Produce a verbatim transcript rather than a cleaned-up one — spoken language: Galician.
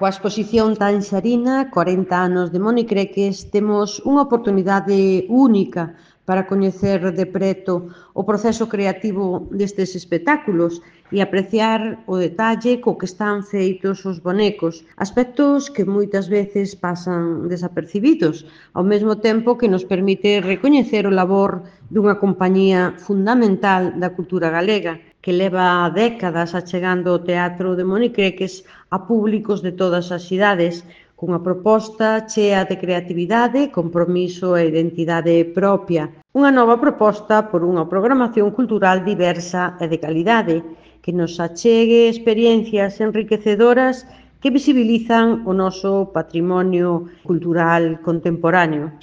Coa exposición Tanxarina, corenta anos de Monicreques, temos unha oportunidade única para coñecer de preto o proceso creativo destes espectáculos e apreciar o detalle co que están feitos os bonecos, aspectos que moitas veces pasan desapercibidos, ao mesmo tempo que nos permite recoñecer o labor dunha compañía fundamental da cultura galega, que leva décadas achegando o teatro de Monicreques a públicos de todas as idades, cunha proposta chea de creatividade, compromiso e identidade propia. Unha nova proposta por unha programación cultural diversa e de calidade, que nos achegue experiencias enriquecedoras que visibilizan o noso patrimonio cultural contemporáneo.